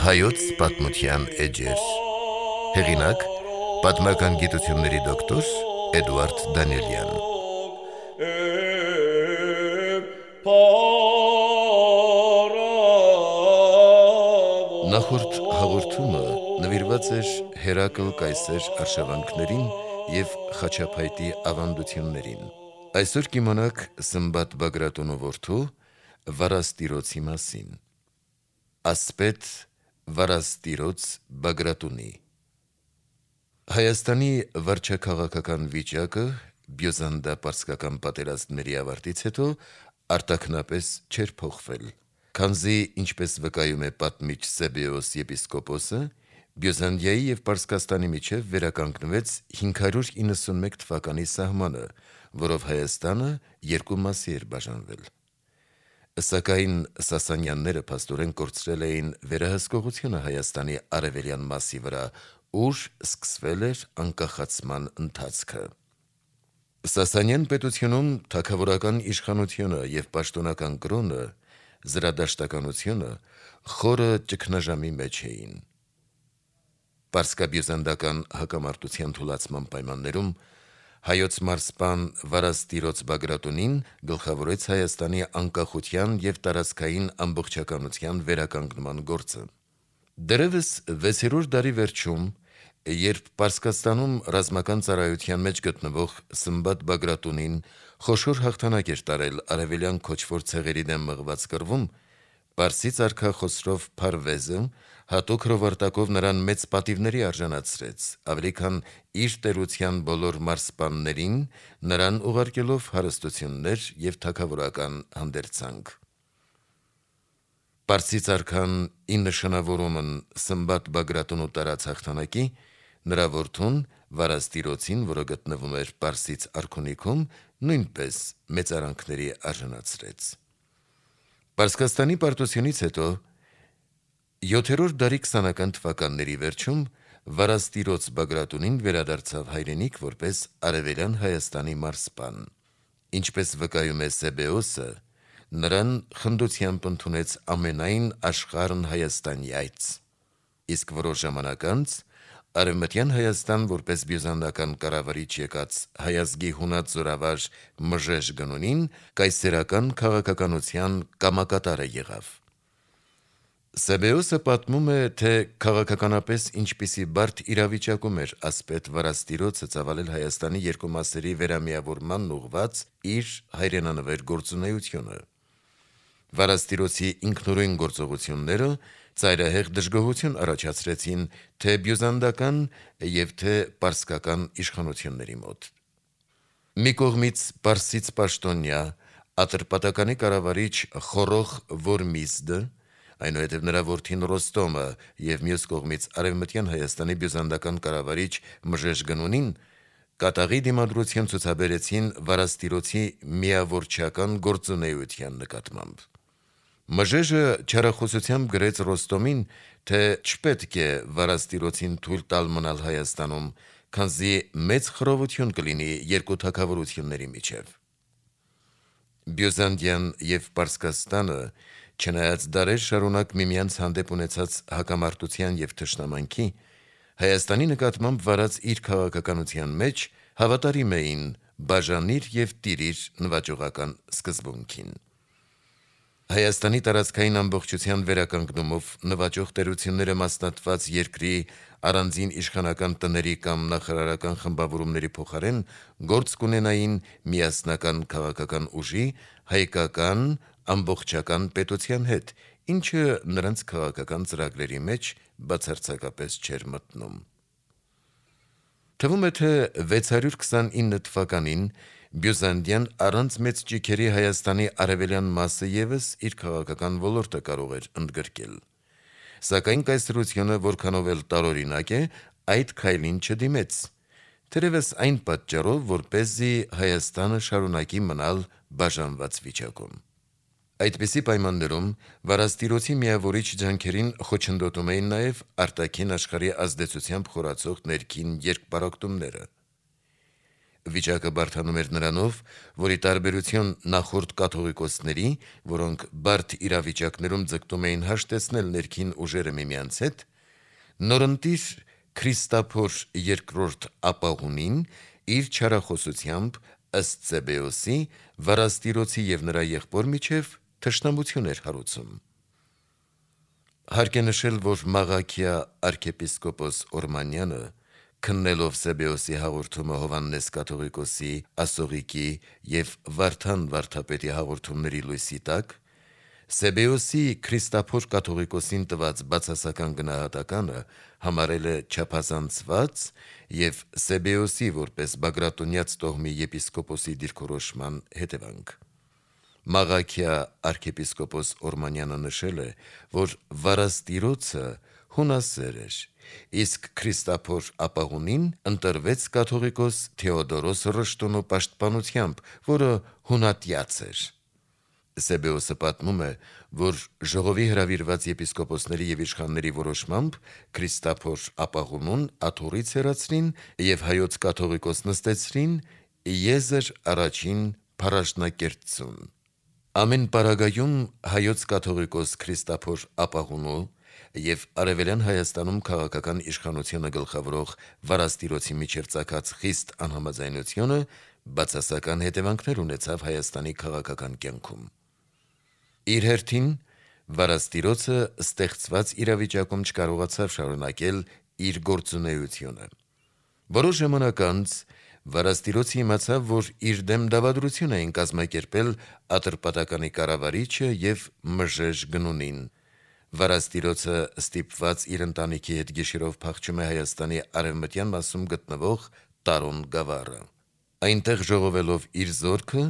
Հայոց պատմության էջեր։ Հեղինակ՝ պատմական գիտությունների դոկտոր Էդուարդ Դանիելյան։ Նախորդ հաղորդումը նվիրված էր Հերակլ կայսեր արշավանքներին և խաչապայտի ավանդություններին։ Այսօր կիմանաք Սմբատ Բագրատունու որդու Վարաստիրոցի մասին։ Ասպետ Վարաստիրոց Բագրատունի։ Հայաստանի վարչաքաղաքական վիճակը բյուզանդա-պարսկական պատերազմների ավարտից հետո արտաքնապես չէր փոխվել, քանզի, ինչպես վկայում է պատմիչ Սեբեոս եպիսկոպոսը, Բյուզանդիայի և Պարսկաստանի միջև վերականգնվեց 591 թվականի սահմանը, որով Հայաստանը երկու մասի էր բաժանվել։ Սակայն Սասանյանները փաստորեն կորցրել էին վերահսկողությունը Հայաստանի արևելյան մասի վրա, ուր սկսվել էր անկախացման ընթացքը։ Սասանյան պետությունում թագավորական իշխանությունը և պաշտոնական կրոնը, զրադաշտականությունը խորը ճգնաժամի մեջ էին։ Պարսկաբյուզանդական հակամարտության թուլացման պայմաններում հայոց մարզպան Վարաստիրոց Բագրատունին գլխավորեց Հայաստանի անկախության և տարածքային ամբողջականության վերականգնման գործը։ Դեռևս 6-րդ դարի վերջում, երբ Պարսկաստանում ռազմական ծառայության մեջ գտնվող Սմբատ Բագրատունին խոշոր հաղթանակ էր տարել արևելյան քոչվոր ցեղերի դեմ մղված կռվում, պարսից արքա Խոսրով Փարվեզը հատուկ հրովարտակով նրան մեծ պատիվների արժանացրեց, ավելի քան իր տերության բոլոր մարզպաններին, նրան ուղարկելով հարստություններ և թագավորական հանդերձանք։ Պարսից արքան ի նշանավորումն Սմբատ Բագրատունու տարած հաղթանակի, նրա որդուն Վարաստիրոցին, որը գտնվում էր Պարսից արքունիքում, նույնպես մեծարանքների արժանացրեց։ Պարսկաստանի պարտությունից հետո 7-րդ դարի 20-ական թվականների վերջում Վարաստիրոց Բագրատունին վերադարձավ հայրենիք որպես արևելյան Հայաստանի մարզպան։ Ինչպես վկայում է Սեբեոսը, նրան խնդությամբ ընդունեց ամենայն աշխարհն Հայաստանի այց։ Իսկ որոշ ժամանակ անց Արևմտյան Հայաստան որպես բյուզանդական կառավարիչ եկած հայազգի հունած զորավար Մժեժ Գնունին կայսերական քաղաքականության կամակատարը եղավ։ Սեբեոսը պատմում է, թե քաղաքականապես ինչպիսի բարդ իրավիճակում էր ասպետ Վարաստիրոցը ծավալել Հայաստանի երկու մասերի վերամիավորմանն ուղղված իր հայրենանվեր գործունեությունը։ Վարաստիրոցի ինքնուրույն գործողությունները ծայրահեղ դժգոհություն առաջացրեցին թե բյուզանդական և թե պարսկական իշխանությունների մոտ։ Մի կողմից պարսից պաշտոնյա, Ատրպատականի կառավարիչ Խորոխ Վորմիզդը, այնուհետև նրա որդին Ռոստոմը և մյուս կողմից Արևմտյան Հայաստանի բյուզանդական կառավարիչ Մժեժ Գնունին կատաղի դիմադրություն ցուցաբերեցին Վարաստիրոցի միավորչական գործունեության նկատմամբ։ Մժեժը չարախոսությամբ գրեց Ռոստոմին, թե չպետք է Վարաստիրոցին թույլ տալ մնալ Հայաստանում, քանզի մեծ խռովություն կլինի երկու թագավորությունների միջև։ Բյուզանդիան և Պարսկաստանը, չնայած դարեր շարունակ միմյանց հանդեպ ունեցած հակամարտության և թշնամանքի, Հայաստանի նկատմամբ վարած իր քաղաքականության մեջ հավատարիմ էին բաժանիր և տիրիր նվաճողական սկզբունքին։ Հայաստանի տարածքային ամբողջության վերականգնումով նվաճող տերությունները մասնատված երկրի առանձին իշխանական տների կամ նախարարական խմբավորումների փոխարեն գործ կունենային միասնական քաղաքական ուժի, հայկական ամբողջական պետության հետ, ինչը նրանց քաղաքական ծրագրերի մեջ բացարձակապես չէր մտնում։ Թվում է, թե 629 թվականին Բյուզանդիան առանց մեծ ճիգերի Հայաստանի արևելյան մասը ևս իր քաղաքական ոլորտը կարող էր ընդգրկել։ Սակայն կայսրությունը որքանով էլ տարօրինակ է, այդ քայլին չդիմեց, թերևս այն պատճառով, որպեսզի Հայաստանը շարունակի մնալ բաժանված վիճակում։ Այդպիսի պայմաններում վարաստիրոցի միավորիչ ջանքերին խոչընդոտում էին նաև արտաքին աշխարհի ազդեցությամբ խորացող ներքին երկպարակտումները։ Վիճակը բարդանում էր նրանով, որի տարբերություն նախորդ կաթողիկոսների, որոնք բարդ իրավիճակներում ձգտում էին հաշտեցնել ներքին ուժերը միմյանց հետ, նորընտիր Քրիստափոր II ապահունին իր չարախոսությամբ ըստ Սեբեոսի վարաստիրոցի եւ նրա եղբոր միջև թշնամություն էր հարուցում։ Հարկ է նշել, որ Մաղաքիա arczepiskopos Օրմանյանը, քննելով Սեբեոսի հաղորդումը Հովհաննես կաթողիկոսի, Ասողիկի եւ Վարդան վարդապետի հաղորդումների լույսի տակ, Սեբեոսի Քրիստափոր կաթողիկոսին տված բացասական գնահատականը համարել է չափազանցված եւ Սեբեոսի որպես բագրատունյաց տոհմի եպիսկոպոսի դիրքորոշման հետևանք։ Մաղաքիա arczepiskopos Օրմանյանը նշել է, որ վարաստիրոցը հունասեր էր, իսկ Քրիստափոր ապահունին ընտրվեց կաթողիկոս Թեոդորոս Ռշտունու պաշտպանությամբ, որը հունատյաց էր։ Սեբեոսը պատմում է, որ ժողովի հրավիրված եպիսկոպոսների եւ իշխանների որոշմամբ Քրիստափոր ապահունուն աթոռից հեռացրին եւ հայոց կաթողիկոս նստեցրին Եզր առաջին փարաշնակերտցուն։ Ամեն պարագայում հայոց կաթողիկոս Քրիստափոր ապահունու եւ Արևելյան Հայաստանում քաղաքական իշխանությունը գլխավորող վարաստիրոցի միջև ծագած խիստ անհամաձայնությունը բացասական հետևանքներ ունեցավ Հայաստանի քաղաքական կյանքում։ Իր հերթին վարաստիրոցը ստեղծված իրավիճակում չկարողացավ շարունակել իր գործունեությունը։ Որոշ ժամանակ անց վարաստիրոցը իմացավ, որ իր դեմ դավադրություն էին կազմակերպել Ատրպատականի կառավարիչը եւ Մժեժ Գնունին։ Վարաստիրոցը ստիպված իր ընտանիքի հետ գիշերով փախչում է Հայաստանի արևմտյան մասում գտնվող Տարոն գավառը։ Այնտեղ ժողովելով իր զորքը,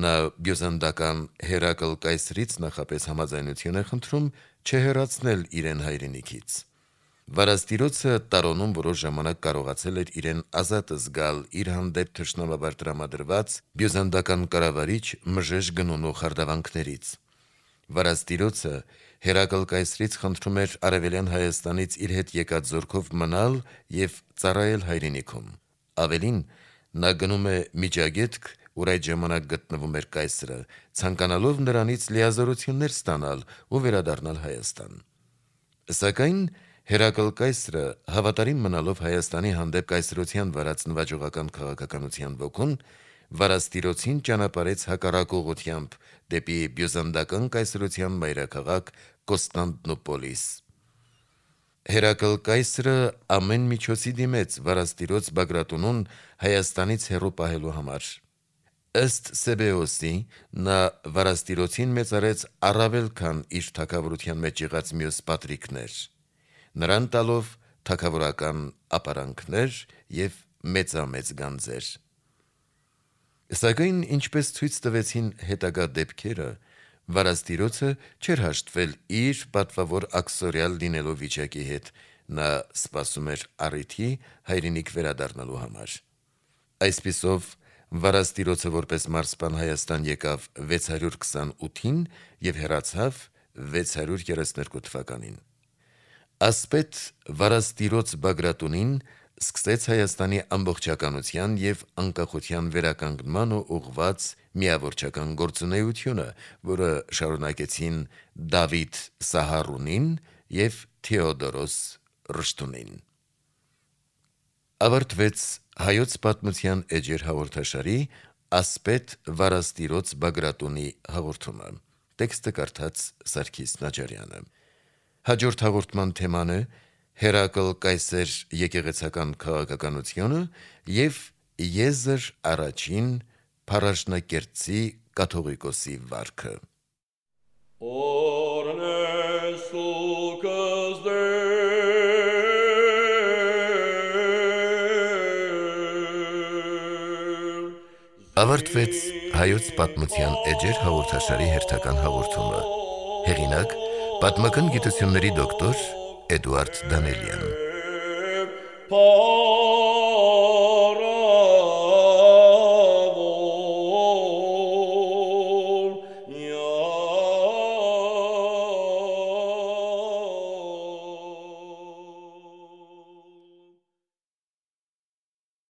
նա բյուզանդական Հերակլ կայսրից նախապես համաձայնություն է խնդրում չհեռացնել իրեն հայրենիքից։ Վարաստիրոցը Տարոնում որոշ ժամանակ կարողացել էր իրեն ազատ զգալ իր հանդեպ թշնամաբար տրամադրված բյուզանդական կառավարիչ Մժեժ Գնունու խարդավանքներից։ Վարաստիրոցը Հերակլ կայսրից խնդրում էր Արևելյան Հայաստանից իր հետ եկած զորքով մնալ եւ ծառայել հայրենիքում։ Ավելին, նա գնում է Միջագետք, ուր այդ ժամանակ գտնվում էր կայսրը, ցանկանալով նրանից լիազորություններ ստանալ ու վերադառնալ Հայաստան։ Սակայն Հերակլ կայսրը, հավատարիմ մնալով Հայաստանի հանդեպ կայսրության վարած նվաճողական քաղաքականության ոգուն, վարաստիրոցին ճանապարհեց հակառակ ուղղությամբ դեպի բյուզանդական կայսրության մայրաքաղաք Կոստանդնուպոլիս։ Հերակլ կայսրը ամեն միջոցի դիմեց վարաստիրոց Բագրատունուն Հայաստանից հեռու պահելու համար։ Ըստ Սեբեոսի, նա վարաստիրոցին մեծարեց առավել քան իր թագավորության մեջ եղած մյուս պատրիկներ, նրան տալով թագավորական ապարանքներ եւ մեծամեծ գանձեր։ Սակայն, ինչպես ցույց տվեցին հետագա դեպքերը, վարաստիրոցը չէր հաշտվել իր պատվավոր աքսորիալ լինելով վիճակի հետ, նա սպասում էր առիթի հայրենիք վերադառնալու համար։ Այսպիսով, վարաստիրոցը որպես մարզպան Հայաստան եկավ 628-ին եւ հեռացավ 632 թվականին։ Ասպետ վարաստիրոց Բագրատունին սկսեց Հայաստանի ամբողջականության եւ անկախության վերականգնման ուղղված միավորչական գործունեությունը, որը շարունակեցին Դավիթ Սահարունին եւ Թեոդորոս Ռշտունին։ Ավարտվեց Հայոց պատմության էջեր հաղորդաշարի ասպետ վարաստիրոց Բագրատունի հաղորդումը։ Տեքստը կարդաց Սարգիս Նաջարյանը։ Հաջորդ հաղորդման թեման է Հերակլ կայսեր եկեղեցական քաղաքականությունը եւ Եզր առաջին փարաշնակերտցի կաթողիկոսի վարքը։ Ավարտվեց Հայոց պատմության էջեր հաղորդաշարի հերթական հաղորդումը։ Հեղինակ՝ պատմական գիտությունների դոկտոր Էդուարդ Դանելյան։